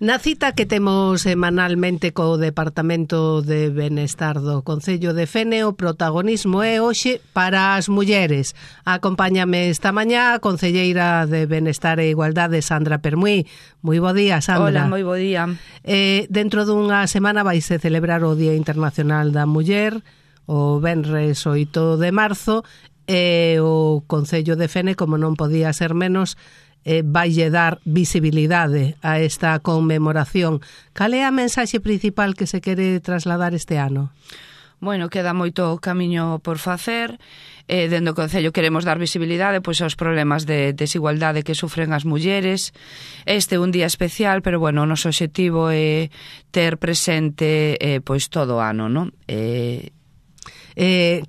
Na cita que temos semanalmente co Departamento de Benestar do Concello de Fene, o protagonismo é hoxe para as mulleres. Acompáñame esta mañá a concelleira de Benestar e Igualdade, Sandra Permuy. Moi bo día, Sandra. Hola, moi bo día. Dentro dunha semana vaise celebrar o Día Internacional da Muller, o venres 8 de marzo, e o Concello de Fene, como non podía ser menos, vaille dar visibilidade a esta conmemoración. Cal é a mensaxe principal que se quere trasladar este ano? Bueno, queda moito camiño por facer. Dende o Concello queremos dar visibilidade aos problemas de desigualdade que sufren as mulleres. Este é un día especial, pero bueno, o noso obxectivo é ter presente todo o ano, non?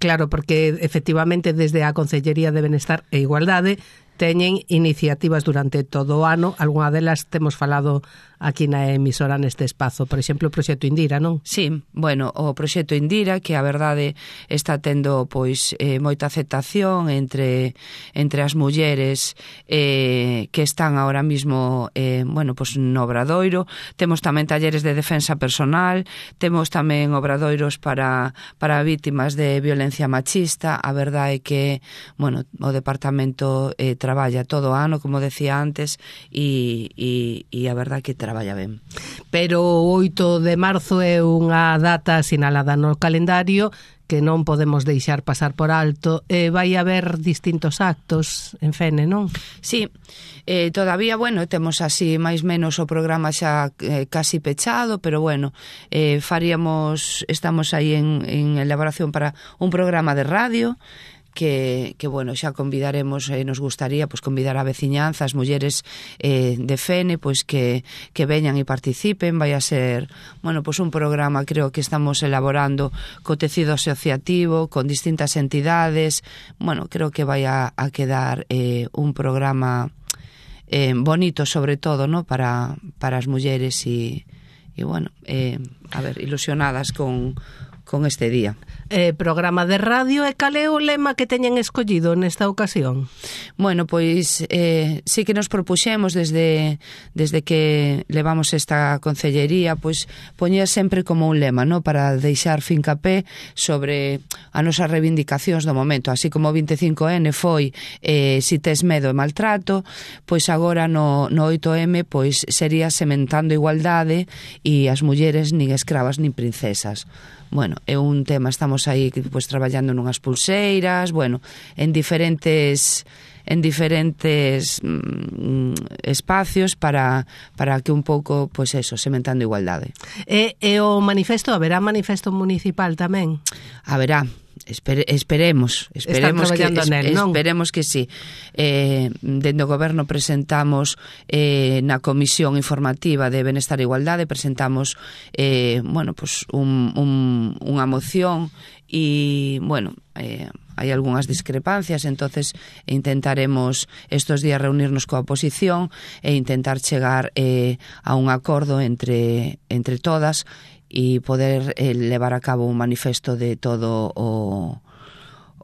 Claro, porque efectivamente desde a Concellería de Benestar e Igualdade teñen iniciativas durante todo o ano. Algunha delas temos falado aquí na emisora neste espazo. Por exemplo, o Proxecto Indira, non? Sí, bueno, o Proxecto Indira, que a verdade está tendo moita aceptación entre as mulleres que están ahora mismo no obradoiro. Temos tamén talleres de defensa personal, temos tamén obradoiros para vítimas de violencia machista. A verdade é que, bueno, o departamento traballa todo o ano, como decía antes, e a verdade é que traballa ben. Pero o 8 de marzo é unha data sinalada no calendario que non podemos deixar pasar por alto. Vai haber distintos actos en Fene, non? Sí, todavía, bueno, temos así máis menos o programa xa casi pechado, pero bueno, estamos aí en elaboración para un programa de radio que bueno, xa convidaremos, nos gustaría convidar a veciñanza, as mulleres de Fene, que veñan e participen. Vai a ser, bueno, un programa, creo que estamos elaborando co tecido asociativo, con distintas entidades. Bueno, creo que vai a quedar un programa bonito, sobre todo, ¿no? para as mulleres e bueno, a ver, ilusionadas con este día. Programa de radio, e cal é o lema que teñen escollido nesta ocasión? Bueno, sí que nos propuxemos desde que levamos esta concellería, poñer sempre como un lema, ¿no? Para deixar fincapé sobre as nosas reivindicacións do momento, así como o 25N foi si tes medo e maltrato, agora no 8M sería sementando igualdade e as mulleres nin escravas nin princesas. Bueno, é un tema, estamos aí traballando nunhas pulseiras, bueno, en diferentes espacios para que un pouco, sementando igualdade. E o manifesto, haberá manifesto municipal tamén? Haberá. Esperemos que sí. Dende o Goberno presentamos na Comisión Informativa de Benestar e Igualdade, presentamos unha moción e, bueno, hai algunhas discrepancias, entonces intentaremos estos días reunirnos coa oposición e intentar chegar a un acordo entre todas e poder levar a cabo un manifesto de todo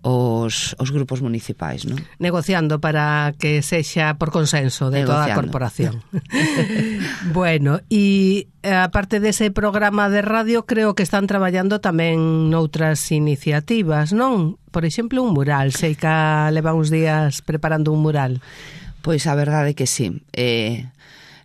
os grupos municipais, non? Negociando para que sexa por consenso de toda a corporación. Bueno, e aparte dese programa de radio, creo que están traballando tamén noutras iniciativas, non? Por exemplo, un mural. Sei que leva uns días preparando un mural. Pois a verdade é que sí.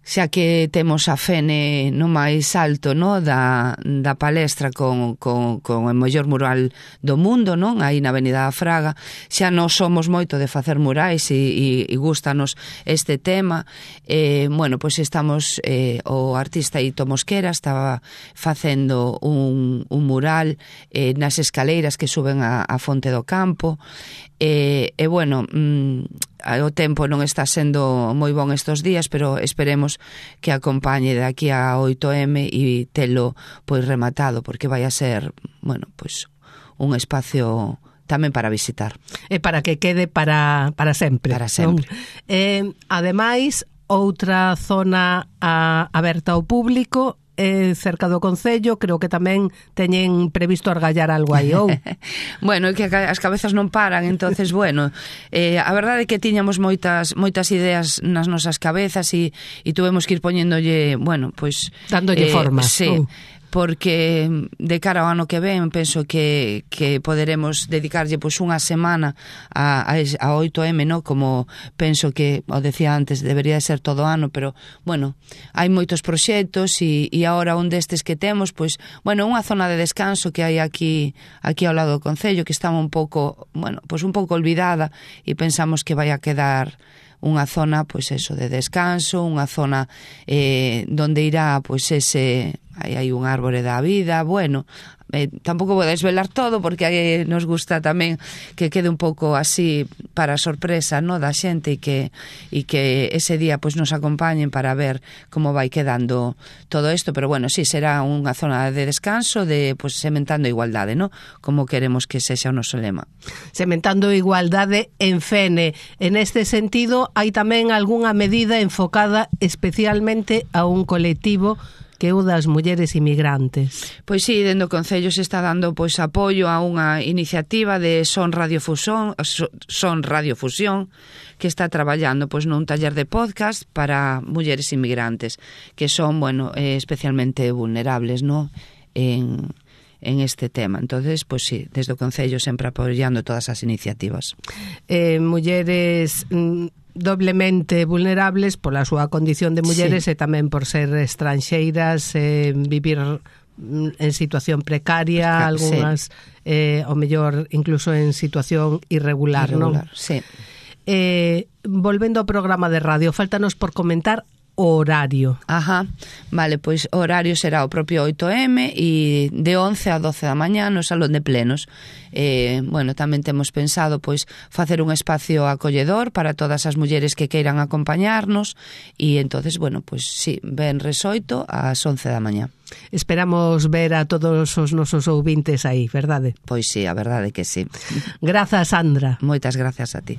Xa que temos a Fene no máis alto, no, da palestra con o mellor mural do mundo, non? Aí na Avenida da Fraga, xa non somos moito de facer murais e gustanos este tema. Bueno, estamos, o artista Ito Mosquera estaba facendo un mural nas escaleiras que suben a Fonte do Campo, bueno, o tempo non está sendo moi bon estos días, pero esperemos que acompañe de aquí a 8M e telo rematado, porque vai a ser, bueno, un espacio tamén para visitar. E para que quede para sempre. Para sempre. Ademais, outra zona aberta ao público cerca do Concello, creo que tamén teñen previsto argallar algo aí, ou? Bueno, é que as cabezas non paran, entonces, bueno, a verdade é que tiñamos moitas ideas nas nosas cabezas e tuvemos que ir poñéndolle, bueno, pois... Dándolle forma. Sí, porque de cara ao ano que ven penso que poderemos dedicarlle pois unha semana a 8M, no? Como penso que, o decía antes, debería de ser todo o ano, pero, bueno, hai moitos proxectos e agora un destes que temos, pois, bueno, unha zona de descanso que hai aquí ao lado do Concello, que está un pouco, bueno, pois un pouco olvidada e pensamos que vai a quedar unha zona, pois eso, de descanso, unha zona donde irá, pois ese... hai un árbore da vida, bueno, tampouco vou desvelar todo porque nos gusta tamén que quede un pouco así para sorpresa, no, da xente e que ese día pois nos acompañen para ver como vai quedando todo isto, pero bueno, sí, será unha zona de descanso, de pois sementando a igualdade, no? Como queremos que sexa o noso lema. Sementando a igualdade en Fene. En este sentido, hai tamén algunha medida enfocada especialmente a un colectivo que é o das mulleres inmigrantes. Pois sí, dentro do Concello se está dando pois apoio a unha iniciativa de Son Radiofusión, que está traballando pois nun taller de podcast para mulleres inmigrantes, que son, bueno, especialmente vulnerables, no? En este tema. Entonces, pois sí, desde o Concello sempre apoiando todas as iniciativas. Mulleres doblemente vulnerables pola súa condición de mulleres, sí, e tamén por ser estranxeiras, vivir en situación precaria, algunhas, sí, o mellor incluso en situación irregular, non? Sí. Volvendo ao programa de radio, faltanos por comentar o horario. Ajá, vale, pois o horario será o propio 8M e de 11 a 12 da mañá no Salón de Plenos. Bueno, tamén temos pensado pois facer un espacio acolledor para todas as mulleres que queiran acompañarnos e entonces, bueno, pois sí, venres 8 ás 11 da mañá. Esperamos ver a todos os nosos ouvintes aí, verdade? Pois sí, a verdade que sí. Grazas, Sandra. Moitas grazas a ti.